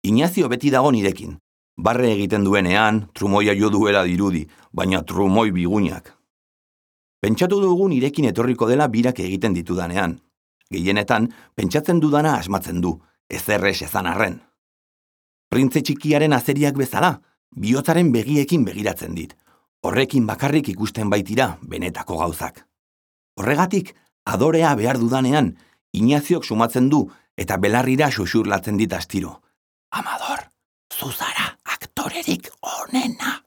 Inazio beti dago nirekin. Barre egiten duenean, trumoia jo duela dirudi, baina trumoi bigunak. Pentsatu dugu nirekin etorriko dela birak egiten ditudanean. Gehienetan, pentsatzen dudana asmatzen du, ezerrez ezan arren. Printze txikiaren azeriak bezala, bihotzaren begiekin begiratzen dit. Horrekin bakarrik ikusten baitira benetako gauzak. Horregatik, adorea behar dudanean, Inaziok sumatzen du eta belarrira xuxurlatzen dit astiro. Amador, zuzara aktorerik onena.